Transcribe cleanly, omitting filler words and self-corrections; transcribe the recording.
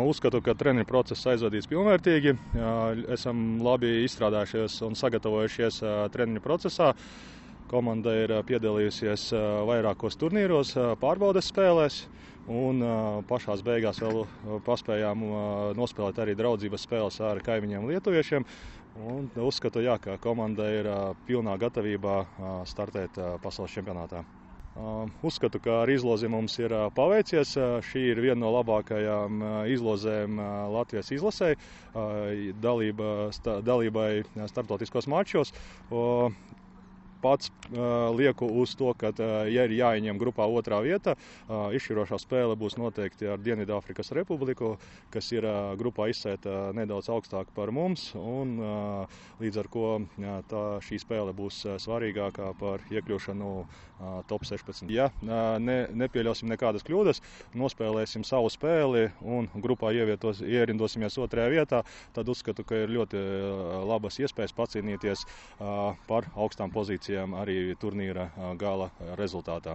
Uzskatu, ka treniņu process aizvadīts pilnvērtīgi. Esam labi izstrādājušies un sagatavojušies treniņu procesā. Komanda ir piedalījusies vairākos turnīros, pārbaudes spēlēs, un pašās beigās vēl paspējām nospēlēt arī draudzības spēles ar kaimiņiem lietuviešiem. Un uzskatu, ka komanda ir pilnā gatavībā startēt pasaules čempionātā. Uzskatu, ka ar izlozi mums ir paveicies. Šī ir viena no labākajām izlozēm Latvijas izlasē, dalībai starptautiskos mačos. Pats lieku uz to, ka, ja ir jāieņem grupā otrā vieta, izšķirošā spēle būs noteikti ar Dienvidāfrikas Republiku, kas ir grupā izsēta nedaudz augstāk par mums, un līdz ar ko šī spēle būs svarīgākā par iekļūšanu top 16. Ja nepieļausim nekādas kļūdas, nospēlēsim savu spēli un grupā ierindosimies otrajā vietā, tad uzskatu, ka ir ļoti labas iespējas pacīnīties par augstām pozīcijām arī turnīra gala rezultātā.